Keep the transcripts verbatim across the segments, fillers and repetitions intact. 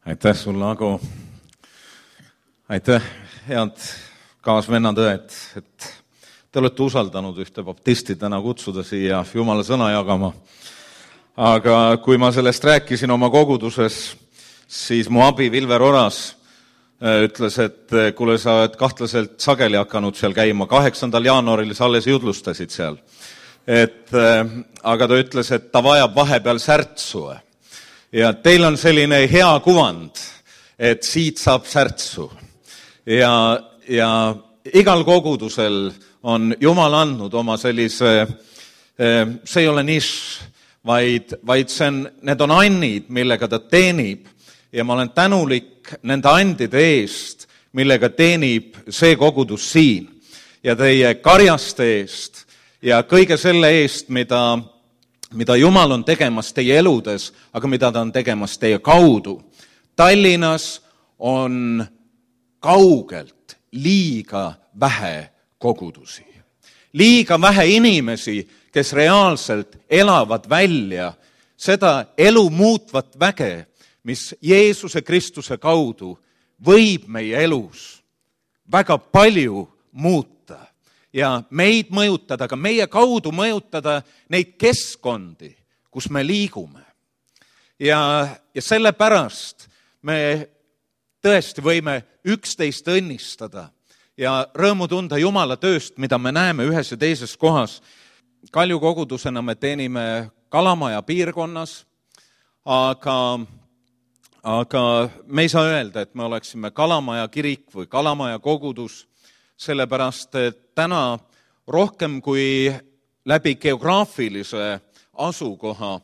Aitäh sulle, Ago. Aitäh, head kaasvennad õed, et te olete usaldanud ühte baptisti täna kutsuda siia Jumala sõna jagama. Aga kui ma sellest rääkisin oma koguduses, siis mu abi Vilver Oras ütles, et kuule, sa oled kahtlaselt sageli hakanud seal käima. kaheksandal jaanuaril sa alles jutlustasid seal. Et, aga ta ütles, et ta vajab vahepeal särtsu. Ja teil on selline hea kuvand, et siit saab särtsu. Ja, ja igal kogudusel on Jumal andnud oma sellise, see ei ole nišš, vaid, vaid see on, need on annid, millega ta teenib. Ja ma olen tänulik nende andide eest, millega teenib see kogudus siin. Ja teie karjaste eest ja kõige selle eest, mida mida Jumal on tegemas teie eludes, aga mida ta on tegemas teie kaudu. Tallinnas on kaugelt liiga vähe kogudusi. Liiga vähe inimesi, kes reaalselt elavad välja seda elu muutvat väge, mis Jeesuse Kristuse kaudu võib meie elus väga palju muuta. Ja meid mõjutada, aga meie kaudu mõjutada neid keskkondi, kus me liigume. Ja, ja sellepärast me tõesti võime üksteist õnnistada ja rõõmu tunda Jumala tööst, mida me näeme ühes ja teises kohas. Kalju kogudusena me teenime Kalamaja piirkonnas, aga, aga me ei saa öelda, et me oleksime Kalamaja kirik või Kalamaja kogudus, sellepärast, et täna rohkem kui läbi geograafilise asukoha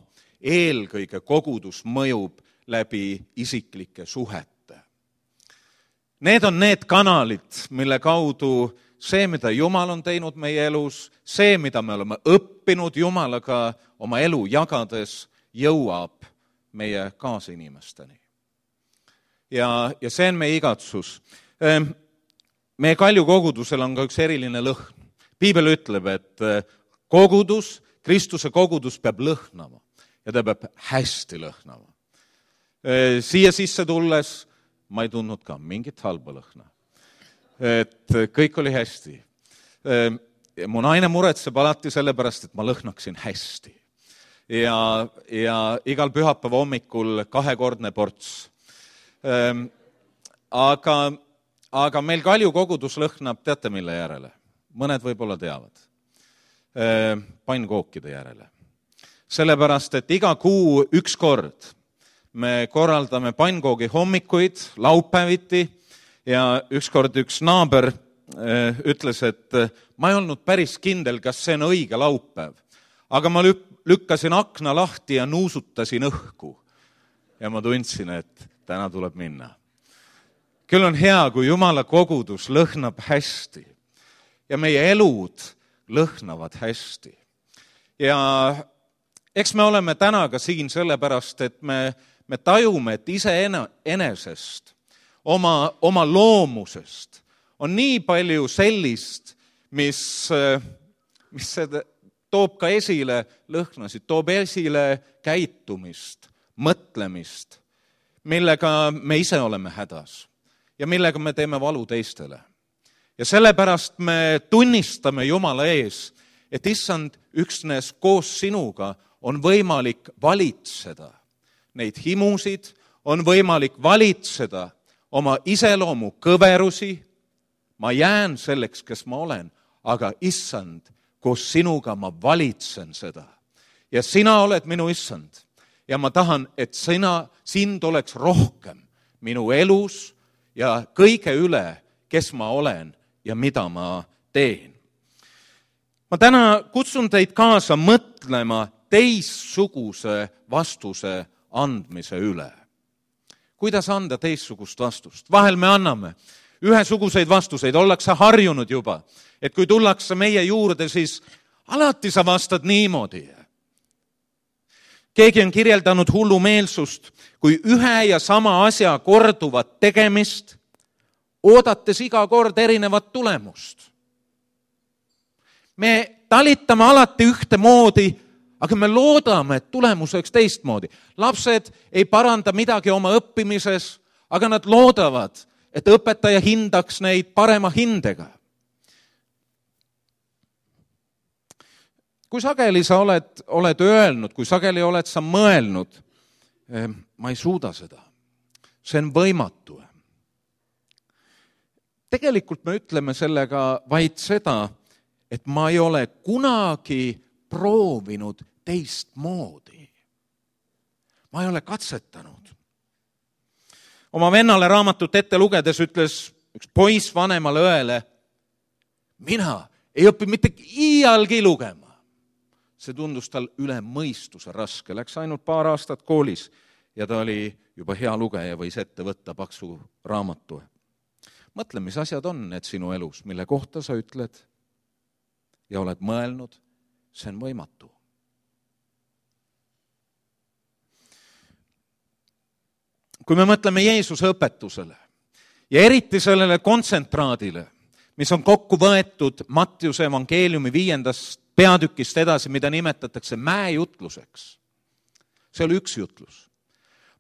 eelkõige kogudus mõjub läbi isiklike suhete. Need on need kanalid, mille kaudu see, mida Jumal on teinud meie elus, see, mida me oleme õppinud Jumalaga oma elu jagades, jõuab meie kaasinimesteni. Ja, ja see on meie igatsus. Meie Kalju kogudusel on ka üks eriline lõhn. Piibel ütleb, et kogudus, Kristuse kogudus peab lõhnama ja ta peab hästi lõhnama. Siia sisse tulles ma ei tundnud ka mingit halba lõhna. Et kõik oli hästi. Mu naine muretseb alati sellepärast, et ma lõhnaksin hästi. Ja, ja igal pühapäeva hommikul kahekordne ports. Aga Aga meil Kalju kogudus lõhnab, teate mille järele? Mõned võib-olla teavad. Pannkookide järele. Sellepärast, et iga kuu üks kord me korraldame pannkoogi hommikuid, laupäeviti, ja üks kord üks naaber ütles, et ma ei olnud päris kindel, kas see on õige laupäev. Aga ma lükkasin akna lahti ja nuusutasin õhku. Ja ma tundsin, et täna tuleb minna. Küll on hea, kui Jumala kogudus lõhnab hästi ja meie elud lõhnavad hästi. Ja eks me oleme täna ka siin sellepärast, et me, me tajume, et ise enesest, oma, oma loomusest on nii palju sellist, mis, mis toob ka esile lõhnasid, toob esile käitumist, mõtlemist, millega me ise oleme hädas. Ja millega me teeme valu teistele. Ja sellepärast me tunnistame Jumala ees, et issand üksnes koos sinuga on võimalik valitseda neid himusid, on võimalik valitseda oma iseloomu kõverusi. Ma jään selleks, kes ma olen, aga issand, koos sinuga ma valitsen seda. Ja sina oled minu issand. Ja ma tahan, et sina, sind oleks rohkem minu elus, ja kõige üle, kes ma olen ja mida ma teen. Ma täna kutsun teid kaasa mõtlema teistsuguse vastuse andmise üle. Kuidas anda teistsugust vastust? Vahel me anname ühesuguseid vastuseid, ollakse harjunud juba, et kui tullakse meie juurde, siis alati sa vastad niimoodi. Keegi on kirjeldanud hullumeelsust, kui ühe ja sama asja korduvat tegemist, oodates iga kord erinevat tulemust. Me talitame alati ühtemoodi, aga me loodame, et tulemus oleks teistmoodi. Lapsed ei paranda midagi oma õppimises, aga nad loodavad, et õpetaja hindaks neid parema hindega. Kui sageli sa oled, oled öelnud, kui sageli oled sa mõelnud, ma ei suuda seda, see on võimatu. Tegelikult me ütleme sellega vaid seda, et ma ei ole kunagi proovinud teistmoodi. Ma ei ole katsetanud. Oma vennale raamatut ette lugedes ütles üks poiss vanemale õele, mina ei õpi mitte iialgi lugema. See tundus tal üle mõistuse raske. Läks ainult paar aastat koolis ja ta oli juba hea lugeja, võis ette võtta paksu raamatu. Mõtle, mis asjad on need sinu elus, mille kohta sa ütled ja oled mõelnud, see on võimatu. Kui me mõtleme Jeesuse õpetusele ja eriti sellele kontsentraadile, mis on kokku võetud Mattiuse evangeeliumi viiendast peatükist edasi, mida nimetatakse mäejutluseks. See oli üks jutlus.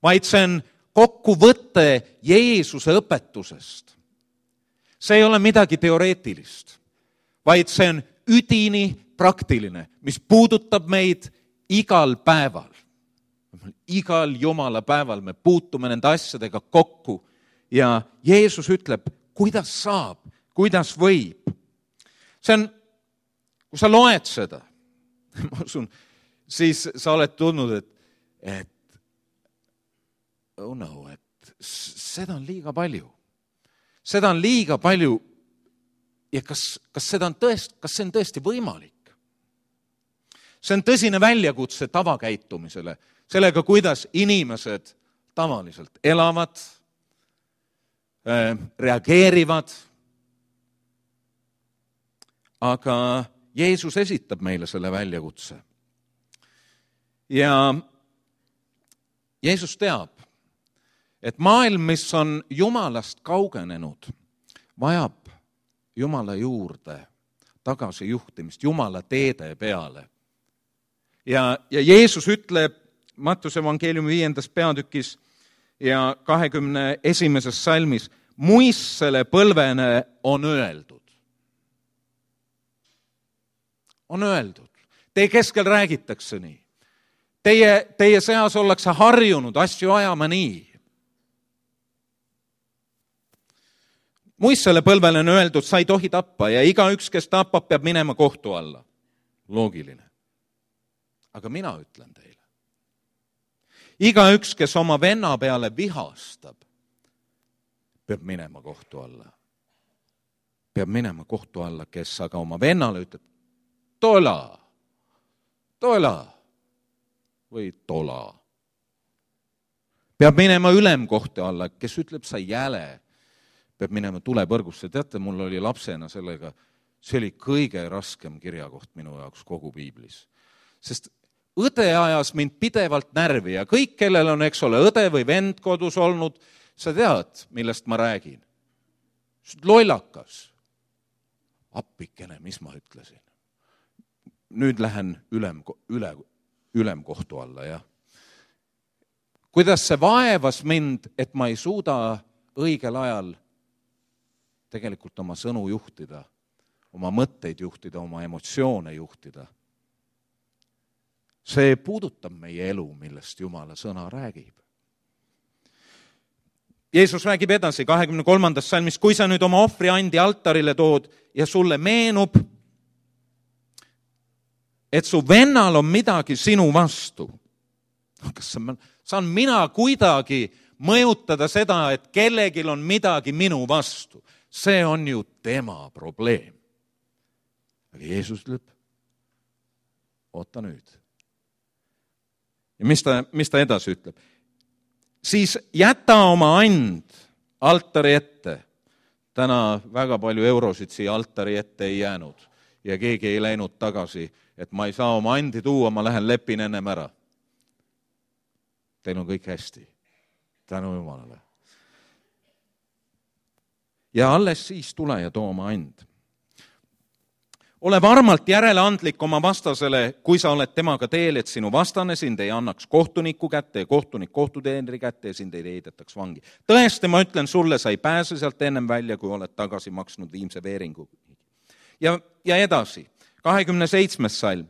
Vaid see on kokkuvõte Jeesuse õpetusest. See ei ole midagi teoreetilist, vaid see on üdini praktiline, mis puudutab meid igal päeval. Igal Jumala päeval me puutume nende asjadega kokku ja Jeesus ütleb, kuidas saab, kuidas võib. See on, kui sa loed seda, ma usun, siis sa oled tundnud, et, et oh no, et seda on liiga palju. Seda on liiga palju ja kas, kas, seda on tõest, kas see on tõesti võimalik? See on tõsine väljakutse tavakäitumisele, sellega, kuidas inimesed tavaliselt elavad, reageerivad, aga Jeesus esitab meile selle väljakutse. Ja Jeesus teab, et maailm, mis on Jumalast kaugenenud, vajab Jumala juurde tagasijuhtimist, Jumala teede peale. Ja, ja Jeesus ütleb Mattiuse evangeeliumi viiendas peatükis ja kahekümne esimeses salmis, muissele põlvene on öeldud. On öeldud. Teie keskel räägitakse nii. Teie, teie seas ollakse harjunud asju ajama nii. Muissele põlvele on öeldud, sa ei tohi tappa ja igaüks, kes tapab, peab minema kohtu alla. Loogiline. Aga mina ütlen teile. Igaüks, kes oma venna peale vihastab, peab minema kohtu alla. Peab minema kohtu alla, kes aga oma vennale ütleb, tola, tola või tola. Peab minema ülemkohtu alla, kes ütleb, sa jäle, peab minema tulepõrgusse. Teate, mul oli lapsena sellega, see oli kõige raskem kirjakoht minu jaoks kogu piiblis. Sest õde ajas mind pidevalt närvi ja kõik, kellel on, eks ole, õde või vend kodus olnud, sa tead, millest ma räägin. Lollakas. Appikene, mis ma ütlesin. Nüüd lähen ülem, üle, ülemkohtu alla, jah. Kuidas see vaevas mind, et ma ei suuda õigel ajal tegelikult oma sõnu juhtida, oma mõtteid juhtida, oma emotsioone juhtida. See puudutab meie elu, millest Jumala sõna räägib. Jeesus räägib edasi kahekümne kolmandas salmis, kui sa nüüd oma ohvriandi altarile tood ja sulle meenub, et su vennal on midagi sinu vastu. Kas saan mina kuidagi mõjutada seda, et kellegil on midagi minu vastu? See on ju tema probleem. Aga Jeesus ütleb, oota nüüd. Ja mis ta, mis ta edasi ütleb? Siis jäta oma and altari ette. Täna väga palju eurosid siia altari ette ei jäänud ja keegi ei läinud tagasi, et ma ei saa oma andi tuua, ma lähen lepin ennem ära. Teil on kõik hästi. Tänu Jumalale. Ja alles siis tule ja too oma and. ole varmalt järeleandlik oma vastasele, kui sa oled temaga teel, et sinu vastane sind ei annaks kohtuniku kätte ja kohtunik kohtuteenri kätte ja sind ei heidetaks vangi. Tõesti, ma ütlen sulle, sa ei pääse sealt ennem välja, kui oled tagasi maksnud viimse veeringu. Ja, ja edasi, kahekümne seitsmes salm.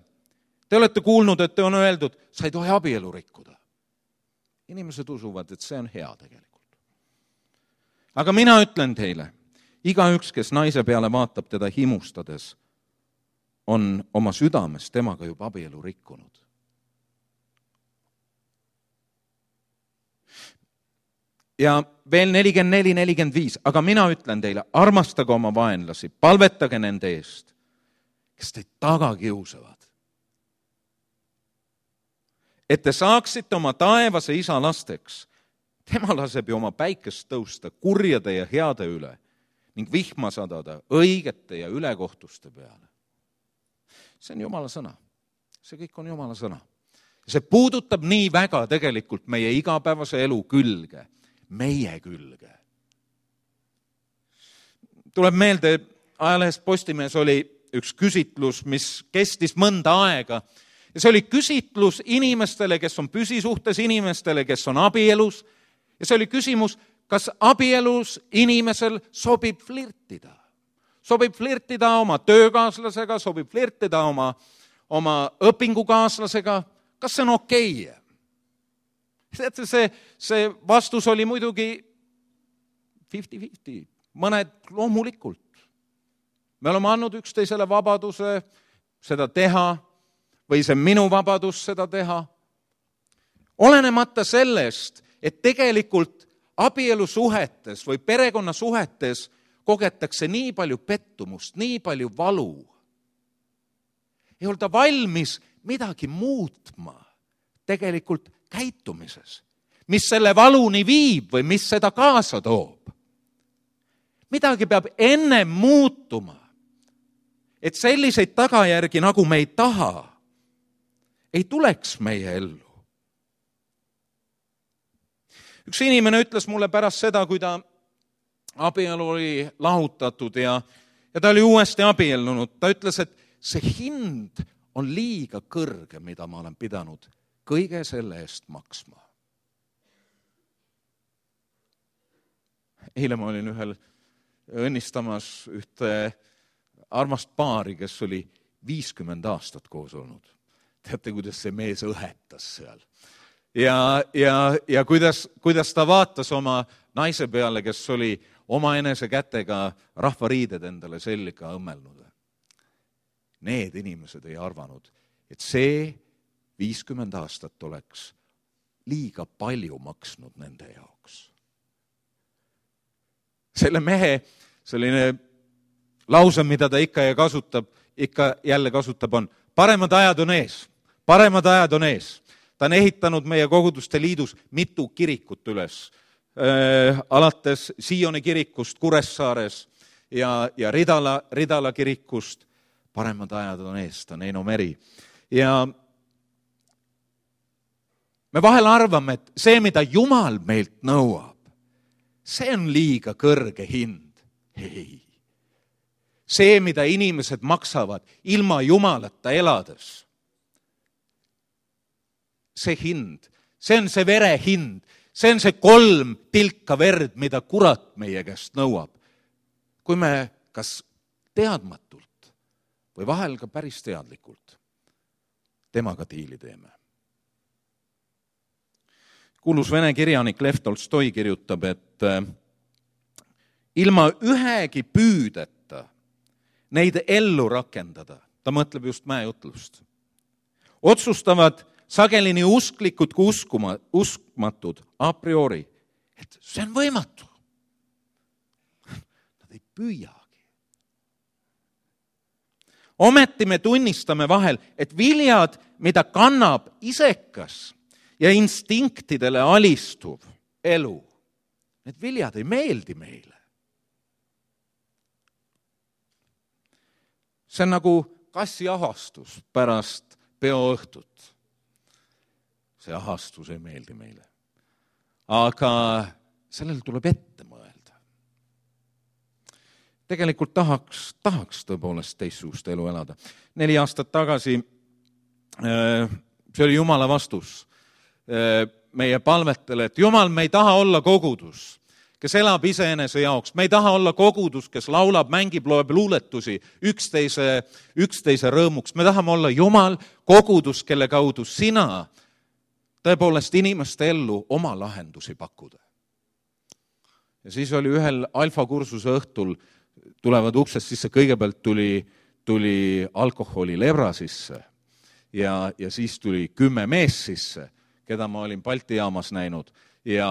Te olete kuulnud, et te on öeldud, sa ei tohi abielu rikkuda. Inimesed usuvad, et see on hea tegelikult. Aga mina ütlen teile, igaüks, kes naise peale vaatab teda himustades, on oma südames temaga juba abielu rikkunud. Ja veel nelikümmend neli nelikümmend viis, aga mina ütlen teile, armastage oma vaenlasi, palvetage nende eest, kes teid taga kiusavad. Et te saaksite oma taevase isa lasteks, tema laseb ju oma päikest tõusta kurjade ja heade üle ning vihma sadada õigete ja ülekohtuste peale. See on Jumala sõna. See kõik on Jumala sõna. See puudutab nii väga tegelikult meie igapäevase elu külge, meie külge. Tuleb meelde, ajalehes Postimees oli üks küsitlus, mis kestis mõnda aega. Ja see oli küsitlus inimestele, kes on püsisuhtes, inimestele, kes on abielus. Ja see oli küsimus, kas abielus inimesel sobib flirtida. Sobib flirtida oma töökaaslasega, sobib flirtida oma, oma õpingukaaslasega. Kas see on okei? Okay? See, see vastus oli muidugi viiskümmend viiskümmend. Mõned loomulikult. Me oleme andnud üksteisele vabaduse seda teha või see minu vabadus seda teha. Olenemata sellest, et tegelikult abielusuhetes või perekonnasuhetes kogetakse nii palju pettumust, nii palju valu. Ei olda valmis midagi muutma tegelikult käitumises, mis selle valuni viib või mis seda kaasa toob. Midagi peab enne muutuma, et selliseid tagajärgi, nagu me ei taha, ei tuleks meie ellu. Üks inimene ütles mulle pärast seda, kui ta abielu oli lahutatud ja, ja ta oli uuesti abiellunud. Ta ütles, et see hind on liiga kõrge, mida ma olen pidanud kõige selle eest maksma. Eile ma olin ühel õnnistamas ühte armast paari, kes oli viiskümmend aastat koos olnud. Teate, kuidas see mees õhetas seal. Ja, ja, ja kuidas, kuidas ta vaatas oma naise peale, kes oli oma enese kätega rahvariided endale selga õmmelnud. Need inimesed ei arvanud, et see viiskümmend aastat oleks liiga palju maksnud nende jaoks. Selle mehe selline lause, mida ta ikka ja kasutab, ikka jälle kasutab, on paremad ajad on ees, paremad ajad on ees. Ta on ehitanud meie koguduste liidus mitu kirikut üles, äh, alates Sioni kirikust Kuressaares ja, ja Ridala, Ridala kirikust. Paremad ajad on ees, ta on Eino Meri. Ja me vahel arvame, et see, mida Jumal meilt nõuab, see on liiga kõrge hind. Ei. See, mida inimesed maksavad ilma Jumalata elades, see hind, see on see vere hind, see on see kolm tilka verd, mida kurat meie käest nõuab. Kui me kas teadmatult või vahel ka päris teadlikult temaga diili teeme. Kuulus vene kirjanik Lev Tolstoi kirjutab, et ilma ühegi püüdeta neid ellu rakendada, ta mõtleb just mäejutlust, otsustavad sageli nii usklikud kui uskuma, uskmatud a priori, et see on võimatu. Nad ei püüagi. Ometi me tunnistame vahel, et viljad, mida kannab isekas ja instinktidele alistuv elu, need viljad ei meeldi meile. See on nagu kassi ahastus pärast peoõhtut. See ahastus ei meeldi meile. Aga sellel tuleb ette mõelda. tegelikult tahaks, tahaks tõepoolest teistsugust elu elada. Neli aastat tagasi, see oli Jumala vastus meie palvetele, et Jumal, me ei taha olla kogudus, kes elab iseenese jaoks. Me ei taha olla kogudus, kes laulab, mängib, loeb luuletusi üksteise, üksteise rõõmuks. Me tahame olla Jumal, kogudus, kelle kaudu sina tõepoolest inimeste ellu oma lahendusi pakkuda. Ja siis oli ühel alfakursuse õhtul, tulevad uksest sisse, kõigepealt tuli, tuli alkoholi lebra sisse ja, ja siis tuli kümme mees sisse, keda ma olin Balti jaamas näinud ja,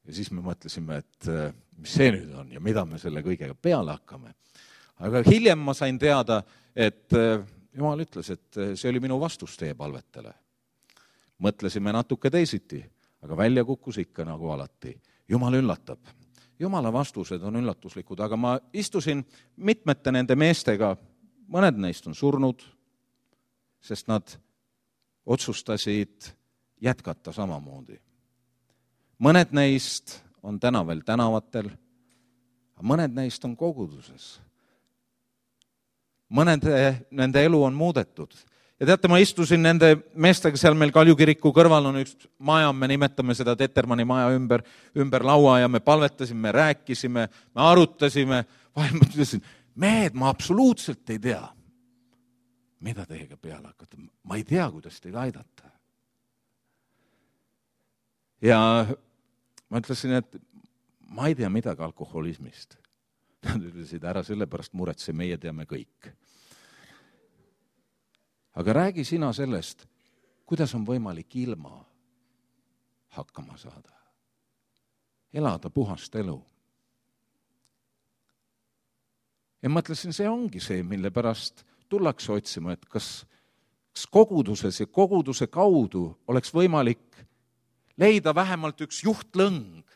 ja siis me mõtlesime, et mis see nüüd on ja mida me selle kõigega peale hakkame. Aga hiljem ma sain teada, et Jumal ütles, et see oli minu vastus teie palvetele. Mõtlesime natuke teisiti, aga välja kukkus ikka nagu alati. Jumal üllatab. Jumala vastused on üllatuslikud, aga ma istusin mitmete nende meestega, mõned neist on surnud, sest nad otsustasid jätkata samamoodi. Mõned neist on täna veel tänavatel, mõned neist on koguduses. Mõned nende elu on muudetud. Ja teate, ma istusin nende meestega seal meil Kalju kiriku kõrval on üks maja, me nimetame seda Tettermanni maja ümber, ümber laua ja me palvetasime, me rääkisime, me arutasime. Vahel ma ütlesin, mehed, ma absoluutselt ei tea, mida teiega peale hakata. Ma ei tea, kuidas teid aidata. Ja ma ütlesin, et ma ei tea midagi alkoholismist. Nad ütlesid, ära sellepärast muretse, meie teame kõik. Aga räägi sina sellest, kuidas on võimalik ilma hakkama saada. Elada puhast elu. Ja mõtlesin, see ongi see, mille pärast tullakse otsima, et kas, kas koguduses ja koguduse kaudu oleks võimalik leida vähemalt üks juhtlõng,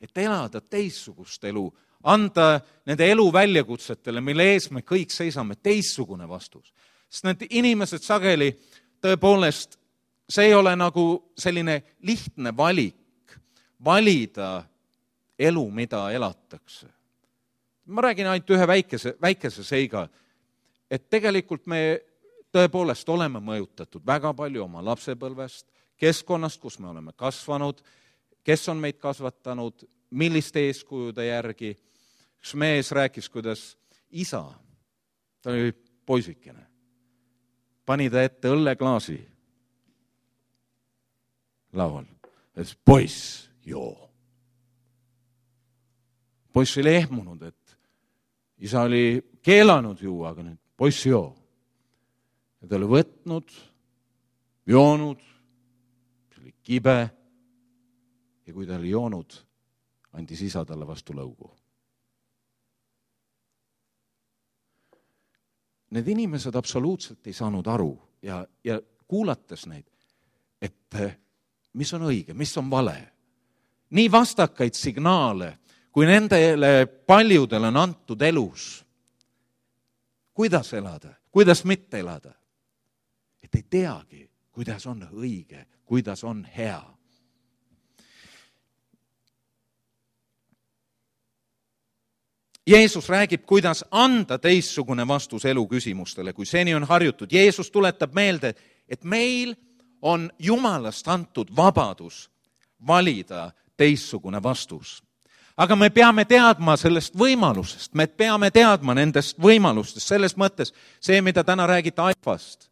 et elada teissugust elu, anda nende elu väljakutsetele, mille ees me kõik seisame, teissugune vastus. Sest need inimesed sageli tõepoolest, see ei ole nagu selline lihtne valik, valida elu, mida elatakse. Ma räägin ainult ühe väikese, väikese seiga, et tegelikult me tõepoolest oleme mõjutatud väga palju oma lapsepõlvest, keskkonnast, kus me oleme kasvanud, kes on meid kasvatanud, milliste eeskujude järgi. Üks mees rääkis, kuidas isa, ta oli poisikene, pani ta ette õlleklaasi laual. Et poiss, joo. Poiss oli ehmunud, et isa oli keelanud juua, aga nüüd poiss, joo. Ja ta oli võtnud, joonud, see oli kibe ja kui ta oli joonud, andis isa talle vastu lõugu. Need inimesed absoluutselt ei saanud aru ja, ja kuulates neid, et mis on õige, mis on vale. Nii vastakaid signaale, kui nendele paljudel on antud elus. Kuidas elada, kuidas mitte elada. Et ei teagi, kuidas on õige, kuidas on hea. Jeesus räägib, kuidas anda teissugune vastus elu küsimustele, kui seni on harjutud. Jeesus tuletab meelde, et meil on Jumalast antud vabadus valida teissugune vastus. Aga me peame teadma sellest võimalusest, me peame teadma nendest võimalustest, selles mõttes see, mida täna räägite alfast,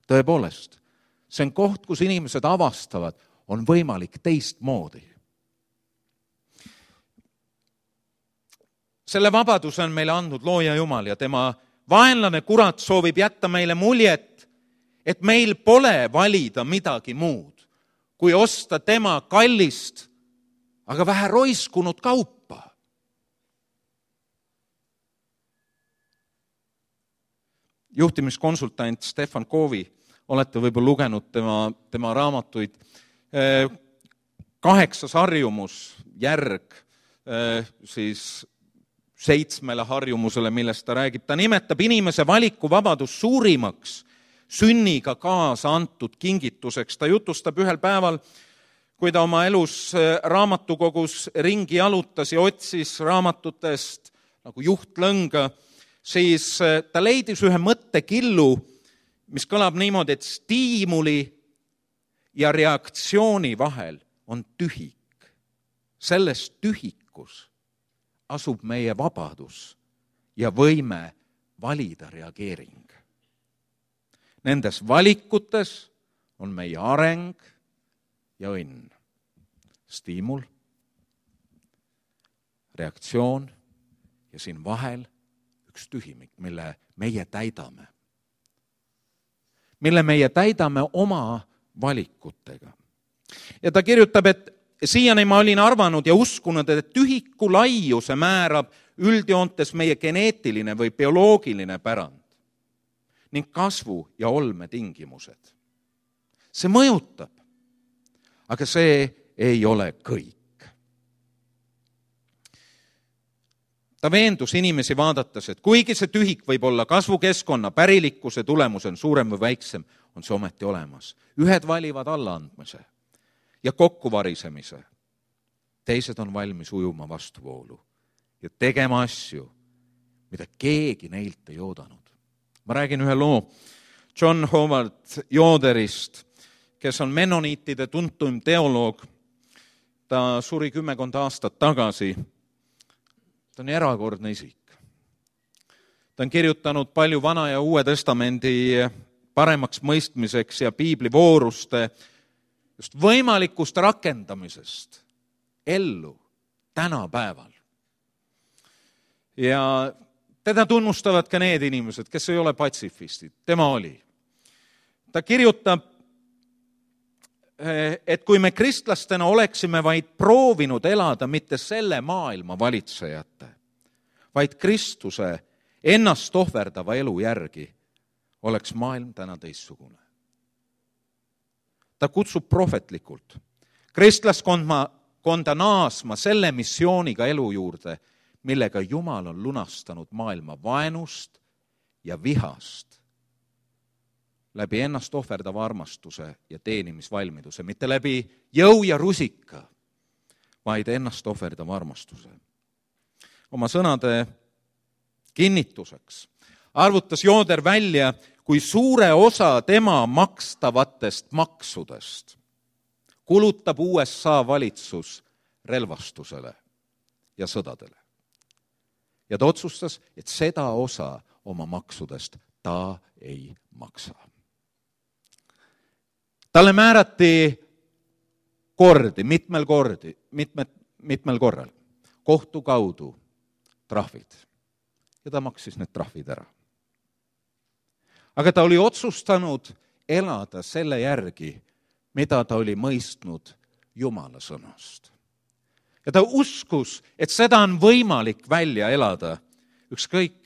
tõepoolest, see on koht, kus inimesed avastavad, on võimalik teistmoodi. Selle vabaduse on meile andnud looja Jumal ja tema vaenlane kurat soovib jätta meile muljet, et meil pole valida midagi muud, kui osta tema kallist, aga vähe roiskunud kaupa. Juhtimiskonsultant Stefan Kovi, olete võib-olla lugenud tema, tema raamatuid, kaheksas harjumus, järg, siis seitsmele harjumusele, millest ta räägib. Ta nimetab inimese valikuvabadus suurimaks sünniga kaasa antud kingituseks. Ta jutustab ühel päeval, kui ta oma elus raamatukogus ringi jalutas ja otsis raamatutest nagu juhtlõnga, siis ta leidis ühe mõttekillu, mis kõlab niimoodi, et stiimuli ja reaktsiooni vahel on tühik. Selles tühikus asub meie vabadus ja võime valida reageering. Nendes valikutes on meie areng ja õnn. Stiimul, reaktsioon ja siin vahel üks tühimik, mille meie täidame. Mille meie täidame oma valikutega. Ja ta kirjutab, et siiani ma olin arvanud ja uskunud, et tühiku laiuse määrab üldjoontes meie geneetiline või bioloogiline pärand ning kasvu ja olme tingimused. See mõjutab, aga see ei ole kõik. Ta veendus inimesi vaadates, et kuigi see tühik võib olla kasvukeskkonna pärilikkuse tulemus on suurem või väiksem, on see ometi olemas. Ühed valivad allaandmise ja kokkuvarisemise. Teised on valmis ujuma vastuvoolu ja tegema asju, mida keegi neilt ei oodanud. Ma räägin ühe loo John Howard Yoderist, kes on mennoniitide tuntuim teoloog. Ta suri kümmekond aastat tagasi. Ta on erakordne isik. Ta on kirjutanud palju Vana ja Uue Testamendi paremaks mõistmiseks ja piiblivooruste just võimalikust rakendamisest ellu tänapäeval. Ja teda tunnustavad ka need inimesed, kes ei ole patsifistid. Tema oli. Ta kirjutab, et kui me kristlastena oleksime vaid proovinud elada mitte selle maailma valitsejate, vaid Kristuse ennast ohverdava elu järgi, oleks maailm täna teistsugune. Ta kutsub prohvetlikult kristlaskonda naasma selle missiooniga elu juurde, millega Jumal on lunastanud maailma vaenust ja vihast läbi ennast ohverdava armastuse ja teenimisvalmiduse, mitte läbi jõu ja rusika, vaid ennast ohverdava armastuse. Oma sõnade kinnituseks arvutas Yoder välja, kui suure osa tema makstavatest maksudest kulutab U S A valitsus relvastusele ja sõdadele. Ja ta otsustas, et seda osa oma maksudest ta ei maksa. Talle määrati kordi, mitmel kordi, mitmed, mitmel korral, kohtu kaudu trahvid. Ja ta maksis need trahvid ära. Aga ta oli otsustanud elada selle järgi, mida ta oli mõistnud Jumala sõnast. Ja ta uskus, et seda on võimalik välja elada, ükskõik,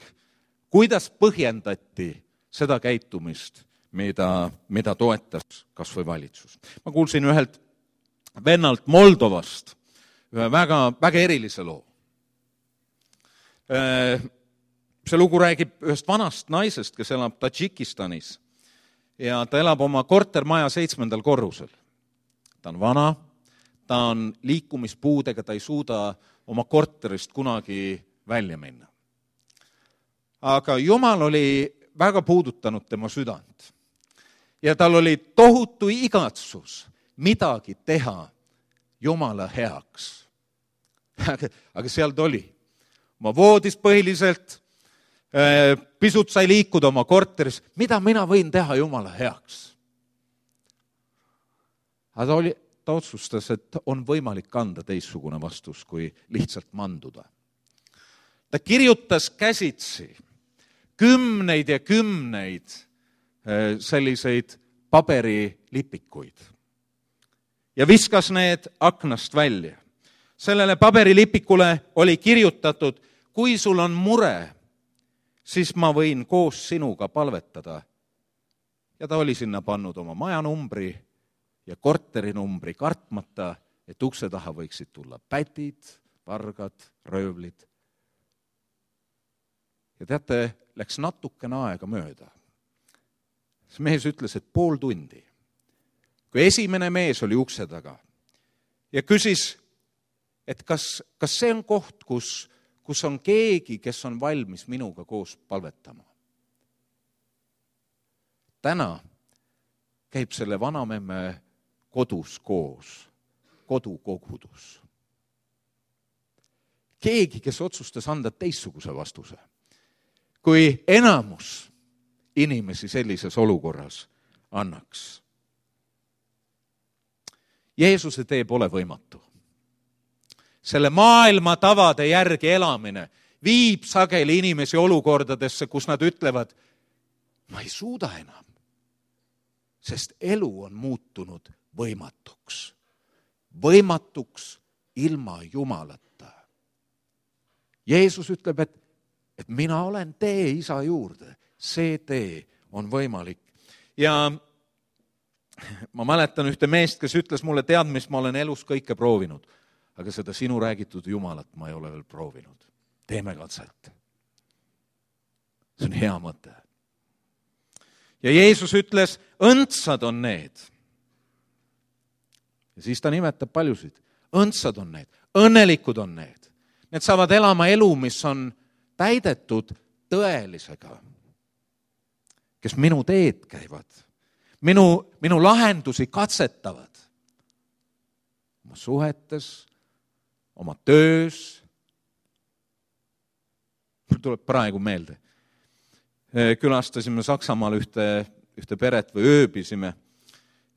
kuidas põhjendati seda käitumist, mida, mida toetas kas või valitsus. Ma kuulsin ühelt vennalt Moldovast ühe väga, väga erilise loo. See lugu räägib ühest vanast naisest, kes elab Tadžikistanis ja ta elab oma kortermaja seitsmendal korrusel. Ta on vana, ta on liikumispuudega, ta ei suuda oma korterist kunagi välja minna. Aga Jumal oli väga puudutanud tema südant. Ja tal oli tohutu igatsus midagi teha Jumala heaks. Aga, aga seal ta oli. Oma voodis põhiliselt, pisut sai liikuda oma korteris. Mida mina võin teha Jumala heaks? Aga ta oli ta otsustas, et on võimalik anda teistsugune vastus, kui lihtsalt manduda. Ta kirjutas käsitsi kümneid ja kümneid selliseid paberilipikuid ja viskas need aknast välja. Sellele paberilipikule oli kirjutatud, kui sul on mure, siis ma võin koos sinuga palvetada. Ja ta oli sinna pannud oma majanumbri ja korterinumbri kartmata, et ukse taha võiksid tulla pätid, vargad, röövlid. Ja teate, läks natukene aega mööda. See mees ütles, et pool tundi, kui esimene mees oli ukse taga ja küsis, et kas, kas see on koht, kus, kus on keegi, kes on valmis minuga koos palvetama. Täna käib selle vanamemme kodus koos, kodukogudus. Keegi, kes otsustas anda teistsuguse vastuse, kui enamus inimesi sellises olukorras annaks. Jeesuse tee pole võimatu. Selle maailma tavade järgi elamine viib sageli inimesi olukordadesse, kus nad ütlevad, ma ei suuda enam, sest elu on muutunud võimatuks. Võimatuks ilma Jumalata. Jeesus ütleb, et, et mina olen tee Isa juurde. See tee on võimalik. Ja ma mäletan ühte meest, kes ütles mulle, tead, mis ma olen elus kõike proovinud, aga seda sinu räägitud Jumalat ma ei ole veel proovinud. Teeme katset. See on hea mõte. Ja Jeesus ütles, õndsad on need. Ja siis ta nimetab paljusid. Õndsad on need, õnnelikud on need. Need saavad elama elu, mis on täidetud tõelisega, kes minu teed käivad, minu, minu lahendusi katsetavad oma suhetes, oma töös. Mul tuleb praegu meelde. Külastasime Saksamaal ühte, ühte peret või ööbisime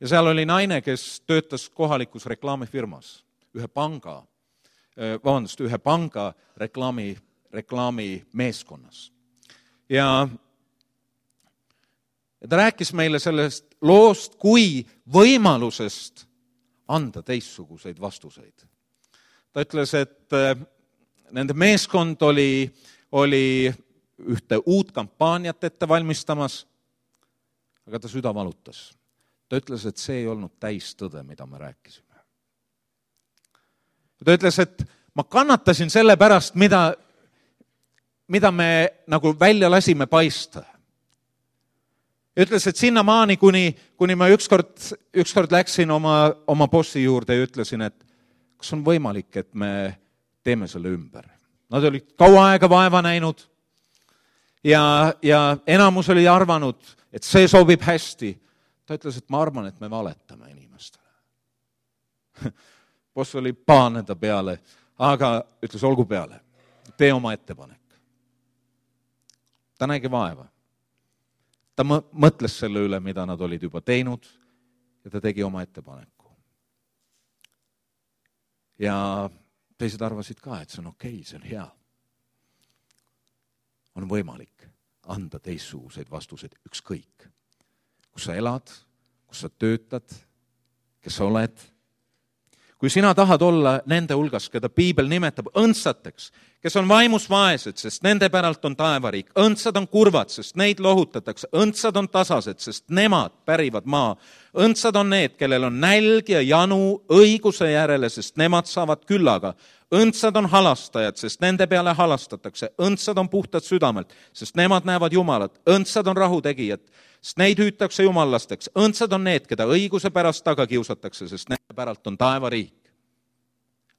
ja seal oli naine, kes töötas kohalikus reklaamifirmas, ühe panga, vabandust, ühe panga reklaami, reklaami meeskonnas. Ja, ja ta rääkis meile sellest loost kui võimalusest anda teistsuguseid vastuseid. Ta ütles, et nende meeskond oli, oli ühte uut kampaaniat ette valmistamas, aga ta süda valutas. Ta ütles, et see ei olnud täistõde, mida me rääkisime. Ta ütles, et ma kannatasin selle pärast, mida, mida me nagu välja lasime paista. Ütles, et sinna maani, kuni, kuni ma ükskord, ükskord läksin oma, oma bossi juurde ja ütlesin, et kas on võimalik, et me teeme selle ümber. Nad olid kaua aega vaeva näinud ja, ja enamus oli arvanud, et see sobib hästi. Ta ütles, et ma arvan, et me valetame inimestele. Boss oli paane ta peale, aga ütles, olgu peale, tee oma ettepanek. Ta nägi vaeva. Ta mõtles selle üle, mida nad olid juba teinud ja ta tegi oma ettepaneku. Ja teised arvasid ka, et see on okei, see on hea. On võimalik anda teistsuguseid vastuseid ükskõik. Kus sa elad, kus sa töötad, kes sa oled. Kui sina tahad olla nende hulgas, keda Piibel nimetab õndsateks, kes on vaimus vaesed, sest nende päralt on taevariik. Õndsad on kurvad, sest neid lohutatakse. Õndsad on tasased, sest nemad pärivad maa. Õndsad on need, kellel on nälg ja janu õiguse järele, sest nemad saavad küllaga. Õndsad on halastajad, sest nende peale halastatakse. Õndsad on puhtad südamelt, sest nemad näevad Jumalat. Õndsad on rahutegijad, sest neid hüütakse jumallasteks. Õndsad on need, keda õiguse pärast taga kiusatakse, sest nende päralt on taevariik.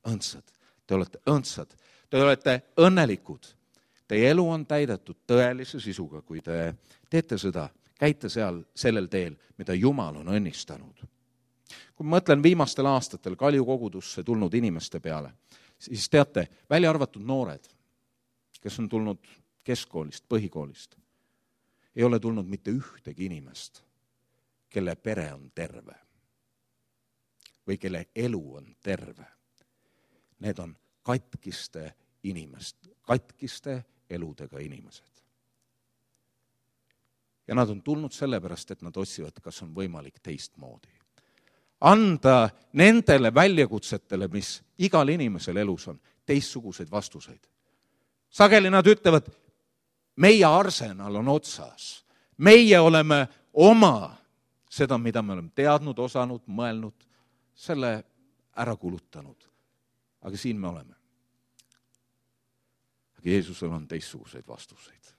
Õndsad, te olete õndsad, te olete õnnelikud. Teie elu on täidetud tõelise sisuga, kui te teete seda, käite seal sellel teel, mida Jumal on õnnistanud. Kui ma mõtlen viimastel aastatel Kalju kogudusse tulnud inimeste peale, siis teate, välja arvatud noored, kes on tulnud keskkoolist, põhikoolist, ei ole tulnud mitte ühtegi inimest, kelle pere on terve või kelle elu on terve. Need on katkiste inimest, katkiste eludega inimesed. Ja nad on tulnud sellepärast, et nad otsivad, kas on võimalik teistmoodi. Anda nendele väljakutsetele, mis igal inimesel elus on, teistsuguseid vastuseid. Sageli nad ütlevad, meie arsenal on otsas. Meie oleme oma seda, mida me oleme teadnud, osanud, mõelnud, selle ära kulutanud. Aga siin me oleme. Aga Jeesusel on teistsuguseid vastuseid.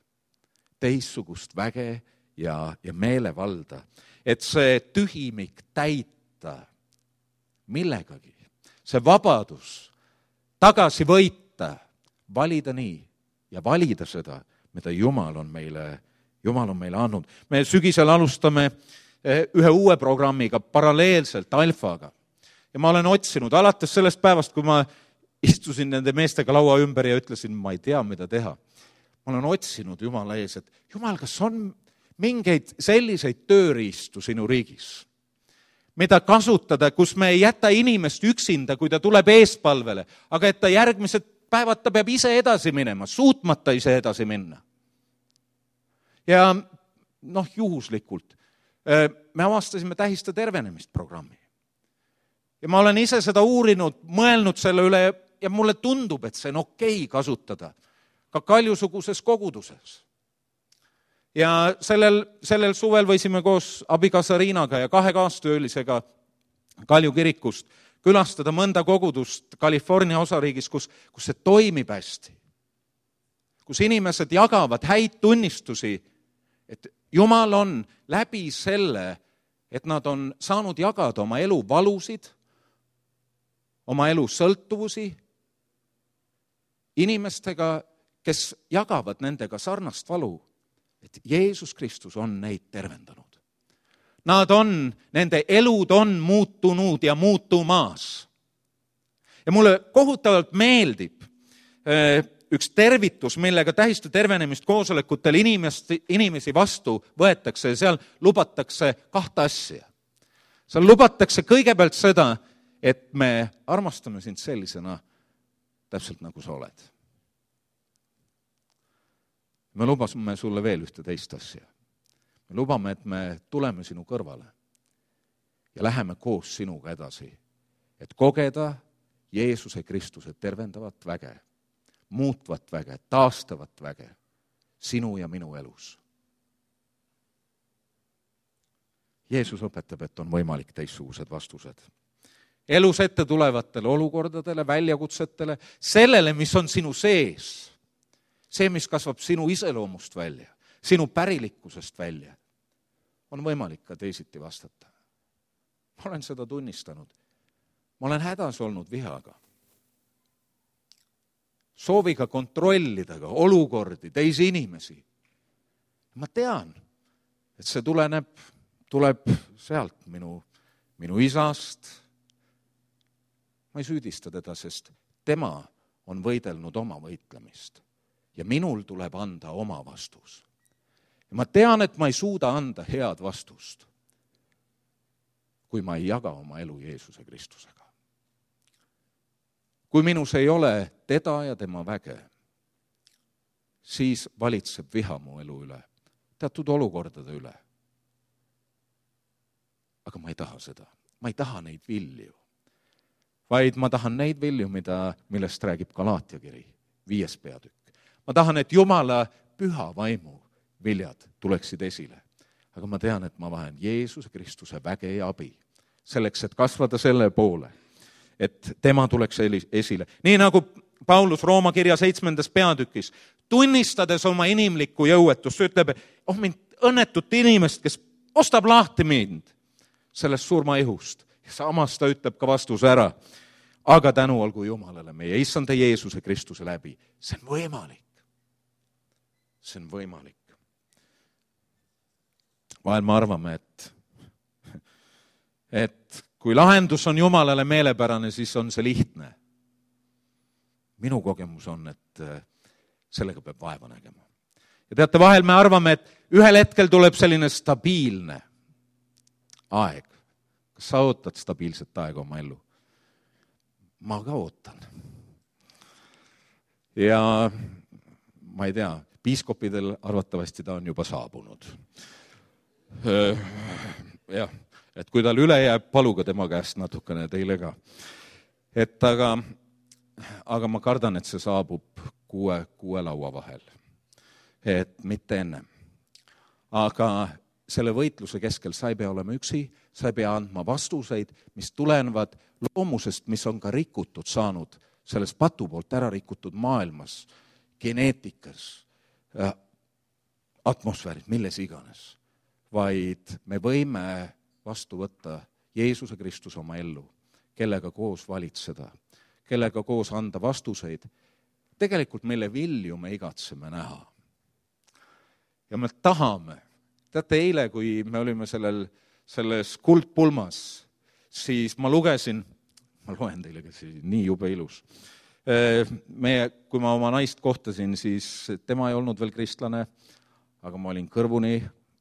Teistsugust väge ja, ja meelevalda. Et see tühimik täita millegagi. See vabadus tagasi võita valida nii ja valida seda, mida Jumal on meile, Jumal on meile andnud. Me sügisel alustame ühe uue programmiga paralleelselt alfaga. Ja ma olen otsinud alates sellest päevast, kui ma istusin nende meestega laua ümber ja ütlesin, ma ei tea, mida teha. Ma olen otsinud Jumala ees, et Jumal, kas on mingeid selliseid tööriistu sinu riigis, mida kasutada, kus me ei jäta inimest üksinda, kui ta tuleb eespalvele, aga et ta järgmised päevad ta peab ise edasi minema, suutmata ise edasi minna. Ja noh, juhuslikult me avastasime tähista tervenemist programmi. Ja ma olen ise seda uurinud, mõelnud selle üle ja mulle tundub, et see on okei kasutada ka Kaljusuguses koguduses. Ja sellel, sellel suvel võisime koos abikaasa Riinaga ja kahe kaastöölisega Kalju kirikust külastada mõnda kogudust California osariigis, kus, kus see toimib hästi. Kus inimesed jagavad häid tunnistusi, et Jumal on läbi selle, et nad on saanud jagada oma elu valusid, oma elu sõltuvusi inimestega, kes jagavad nendega sarnast valu, et Jeesus Kristus on neid tervendanud. Nad on, nende elud on muutunud ja muutumaas. Ja mulle kohutavalt meeldib üks tervitus, millega tähista tervenemist koosolekutel inimesi, inimesi vastu võetakse ja seal lubatakse kahte asja. Seal lubatakse kõigepealt seda, et me armastame sind sellisena täpselt nagu sa oled. Me lubasime sulle veel ühte teist asja. Me lubame, et me tuleme sinu kõrvale ja läheme koos sinuga edasi, et kogeda Jeesuse Kristuse tervendavat väge, muutvat väge, taastavat väge sinu ja minu elus. Jeesus õpetab, et on võimalik teistsugused vastused. Elus ette tulevatele olukordadele, väljakutsetele, sellele, mis on sinu sees, see, mis kasvab sinu iseloomust välja, sinu pärilikkusest välja, on võimalik ka teisiti vastata. Ma olen seda tunnistanud. Ma olen hädas olnud vihaga. Sooviga kontrollida ka olukordi, teisi inimesi. Ma tean, et see tuleneb, tuleb sealt minu, minu isast. Ma ei süüdista teda, sest tema on võidelnud oma võitlemist. Ja minul tuleb anda oma vastus. Ja ma tean, et ma ei suuda anda head vastust, kui ma ei jaga oma elu Jeesuse Kristusega. Kui minus ei ole teda ja tema väge, siis valitseb viha mu elu üle, teatud olukordade üle. Aga ma ei taha seda. Ma ei taha neid vilju, vaid ma tahan neid vilju, mida, millest räägib Galaatia kiri, viies peatükk. Ma tahan, et Jumala püha vaimu viljad tuleksid esile. Aga ma tean, et ma vahen Jeesuse Kristuse väge ja abi selleks, et kasvada selle poole, et tema tuleks esile. Nii nagu Paulus Rooma kirja seitsmendas peatükis, tunnistades oma inimlikku jõuetust, ütleb, oh mind õnnetut inimest, kes ostab lahti mind sellest surmaihust. Ja samas ta ütleb ka vastuse ära. Aga tänu olgu Jumalale meie issanda Jeesuse Kristuse läbi. See on võimalik. See on võimalik. Vahel me arvame, et, et kui lahendus on Jumalale meelepärane, siis on see lihtne. Minu kogemus on, et sellega peab vaeva nägema. Ja teate, vahel me arvame, et ühel hetkel tuleb selline stabiilne aeg. Kas sa ootad stabiilset aega oma ellu? Ma ka ootan. Ja ma ei tea, piiskopidel arvatavasti ta on juba saabunud. Jah, et kui tal üle jääb, paluga tema käest natukene teile ka. Et aga, aga ma kardan, et see saabub kuue, kuue laua vahel. Et mitte enne. Aga selle võitluse keskel sa ei pea olema üksi, sa ei pea andma vastuseid, mis tulenevad loomusest, mis on ka rikutud saanud selles patu poolt ära rikutud maailmas, geneetikas, atmosfäärid, milles iganes. Vaid me võime vastu võtta Jeesuse Kristus oma ellu, kellega koos valitseda, kellega koos anda vastuseid tegelikult mille vilju me igatseme näha. Ja me tahame, teate eile, kui me olime sellel, selles kuldpulmas, siis ma lugesin, ma loen teile, kes nii jube ilus. Meie, kui ma oma naist kohtasin, siis tema ei olnud veel kristlane, aga ma olin kõrvuni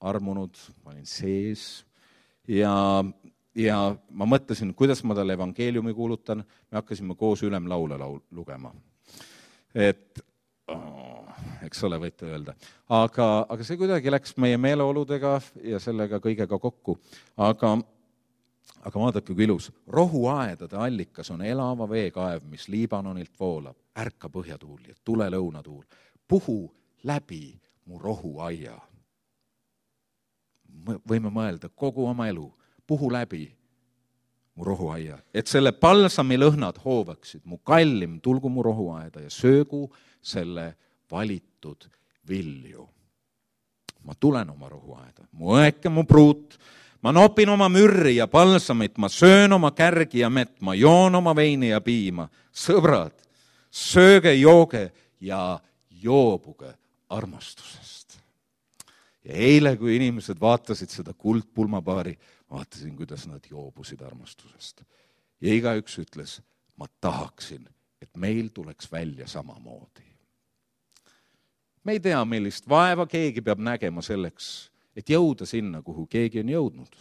armunud, ma olin sees ja, ja ma mõtlesin, kuidas ma talle evangeeliumi kuulutan. Me hakkasime koos ülemlaule laul, lugema. Et, oh, eks ole, võite öelda. Aga, aga see kuidagi läks meie meeleoludega ja sellega kõigega kokku. Aga, aga vaadake, kui ilus. Rohuaedade allikas on elava veekaev, mis Liibanonilt voolab. Ärka põhjatuul ja tule lõunatuul. Puhu läbi mu rohuaia. Võime mõelda kogu oma elu. Puhu läbi mu rohuaia. Et selle palsami lõhnad hoovaksid. Mu kallim tulgu mu rohuaeda ja söögu selle valitud vilju. Ma tulen oma rohuaeda. Mu õeke, mu pruut. Ma nopin oma mürri ja palsamit. Ma söön oma kärgi ja mett. Ma joon oma veini ja piima. Sõbrad, sööge, jooge ja joobuge armastusest. Ja eile, kui inimesed vaatasid seda kuldpulmapaari, vaatasin, kuidas nad joobusid armastusest. Ja igaüks ütles, ma tahaksin, et meil tuleks välja samamoodi. Me ei tea, millist vaeva keegi peab nägema selleks, et jõuda sinna, kuhu keegi on jõudnud.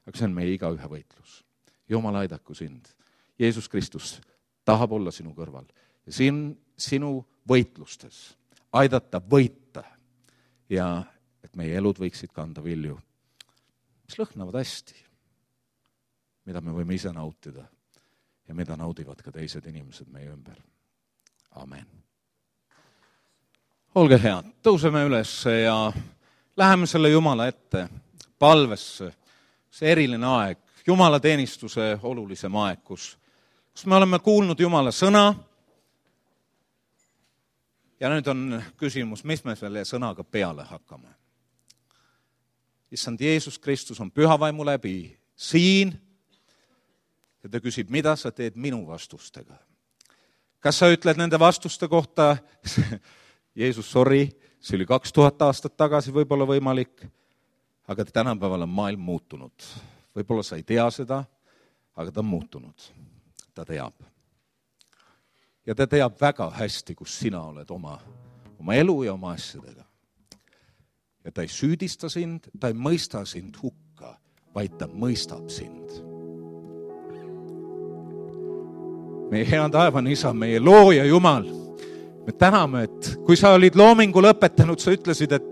Aga see on meie igaühe võitlus. Jumal aidaku sind. Jeesus Kristus tahab olla sinu kõrval. Ja siin sinu võitlustes aidata võita ja et meie elud võiksid kanda vilju, mis lõhnavad hästi, mida me võime ise nautida ja mida naudivad ka teised inimesed meie ümber. Amen. Olge head, tõuseme üles ja läheme selle Jumala ette, palvesse, see eriline aeg, Jumala teenistuse olulisem aeg, kus, kus me oleme kuulnud Jumala sõna. Ja nüüd on küsimus, mis me selle sõnaga peale hakkame. Issand Jeesus Kristus on pühavaimu läbi siin ja ta küsib, mida sa teed minu vastustega. Kas sa ütled nende vastuste kohta, Jeesus, sorry, see oli kaks tuhat aastat tagasi võib-olla võimalik, aga tänapäeval on maailm muutunud. Võib-olla sa ei tea seda, aga ta on muutunud. Ta teab. Ja ta teab väga hästi, kus sina oled oma, oma elu ja oma asjadega. Ja ta ei süüdista sind, ta ei mõista sind hukka, vaid ta mõistab sind. Meie hea taevane isa, meie looja Jumal, me täname, et kui sa olid loomingu lõpetanud, sa ütlesid, et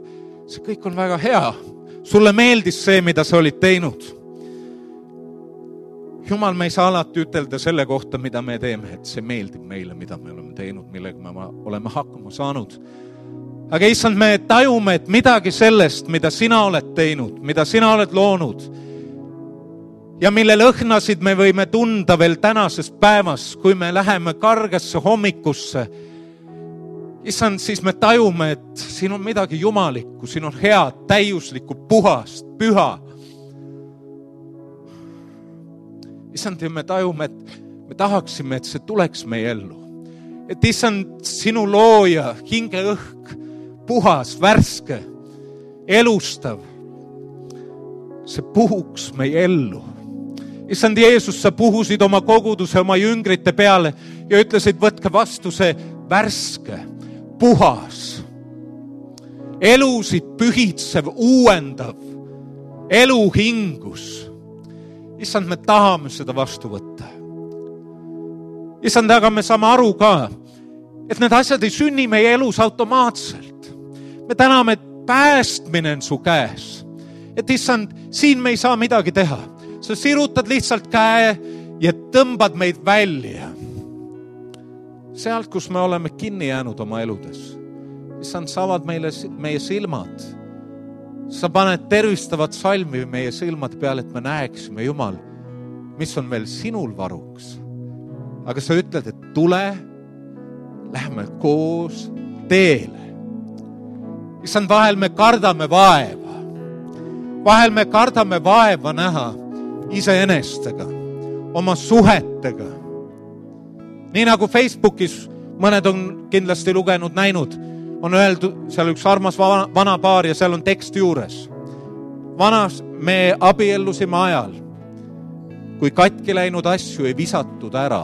see kõik on väga hea. Sulle meeldis see, mida sa olid teinud. Jumal, me ei saa alati ütelda selle kohta, mida me teeme, et see meeldib meile, mida me oleme teinud, millega me oleme hakkama saanud. Aga issand, me tajume, et midagi sellest, mida sina oled teinud, mida sina oled loonud ja mille lõhnasid me võime tunda veel tänases päevas, kui me läheme kargasse hommikusse. Issand, siis me tajume, et siin on midagi jumalikku, siin on head, täiuslikku, puhast, püha. Issand, ja me tajume, et me tahaksime, et see tuleks meie ellu. Et issand, sinu looja, hinge õhk, puhas, värske, elustav, see puhuks meie ellu. Issand Jeesus, sa puhusid oma koguduse, oma jüngrite peale ja ütlesid, võtke vastu see värske, puhas, elusid pühitsev, uuendav, eluhingus. Issand, me tahame seda vastu võtta. Issand, aga me saame aru ka, et need asjad ei sünni meie elus automaatselt. Me täname, et päästmine on su käes. Et issand, siin me ei saa midagi teha. Sa sirutad lihtsalt käe ja tõmbad meid välja. Sealt, kus me oleme kinni jäänud oma eludes. Issand, saavad meile, meie silmad. Sa paned tervistavat salmi meie silmad peale, et me näeksime, Jumal, mis on veel sinul varuks. Aga sa ütled, et tule, lähme koos teele. Issand, vahel me kardame vaeva. Vahel me kardame vaeva näha iseenestega, oma suhetega. Nii nagu Facebookis mõned on kindlasti lugenud, näinud, on öeldud, seal üks armas vana, vana paar ja seal on tekst juures. Vanas me abiellusime ajal, kui katki läinud asju ei visatud ära,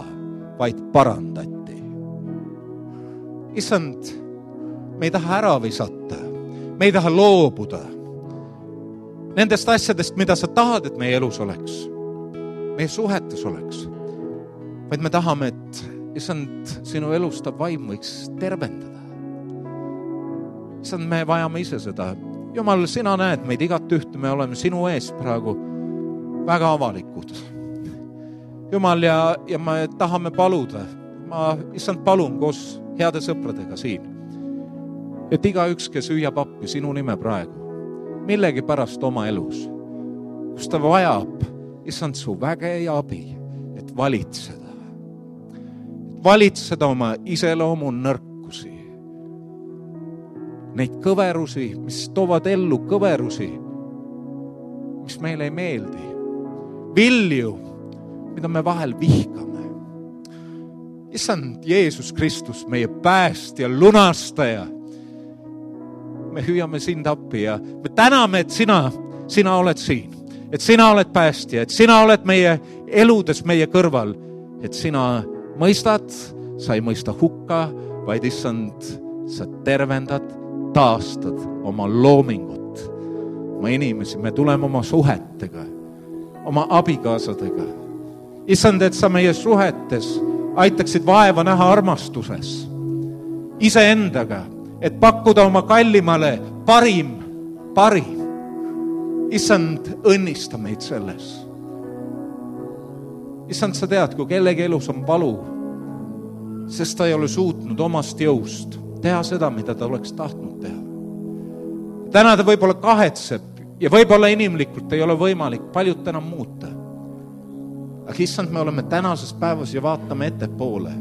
vaid parandati. Issand, me ei taha ära visata, me ei taha loobuda nendest asjadest, mida sa tahad, et meie elus oleks, meie suhetes oleks, vaid me tahame, et Issand, sinu elustav vaim võiks tervendada. Issand, me vajame ise seda. Jumal, sina näed meid igat ühte, me oleme sinu ees praegu väga avalikud. Jumal, ja, ja me tahame paluda. Ma, Issand, palun koos heade sõpradega siin, et iga üks, kes hüüab appi sinu nime praegu, millegi pärast oma elus, kus ta vajab, Issand, su väge ja abi, et valitseda. valitseda oma iseloomu nõrkusi. Neid kõverusi, mis toovad ellu kõverusi, mis meile ei meeldi. Vilju, mida me vahel vihkame. Issand Jeesus Kristus, meie päästja, lunastaja. Me hüüame sind appi ja me täname, et sina, sina oled siin. Et sina oled päästja, et sina oled meie eludes meie kõrval. Et sina mõistad, sa ei mõista hukka, vaid Issand, sa tervendad, taastad oma loomingut, oma inimesi. Me tuleme oma suhetega, oma abikaasadega. Issand, et sa meie suhetes aitaksid vaeva näha armastuses, iseendaga, et pakkuda oma kallimale parim, parim. Issand, õnnista meid selles. Issand, sa tead, kui kellegi elus on valu, sest ta ei ole suutnud omast jõust teha seda, mida ta oleks tahtnud teha. Täna ta võib-olla kahetseb ja võib-olla inimlikult ei ole võimalik paljut enam muuta. Aga Issand, me oleme tänases päevas ja vaatame ettepoole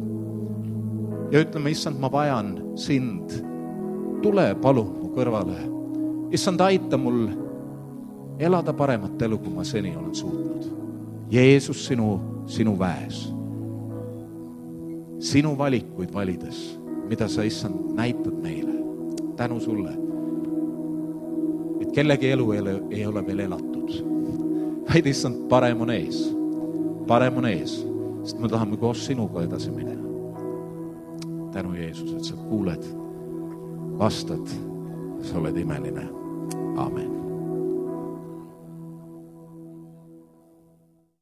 ja ütleme, Issand, ma vajan sind. Tule palun mu kõrvale. Issand, aita mul elada paremat elu, kui ma seni olen suutnud. Jeesus, sinu, sinu väes. Sinu valikuid valides, mida sa, Issand, näitad meile. Tänu sulle, et kellegi elu ei ole, ei ole veel elatud. Vaid, Issand, parem on ees. Parem on ees, sest me tahame koos sinuga edasi minna. Tänu Jeesus, et sa kuuled, vastad, sa oled imeline. Amen.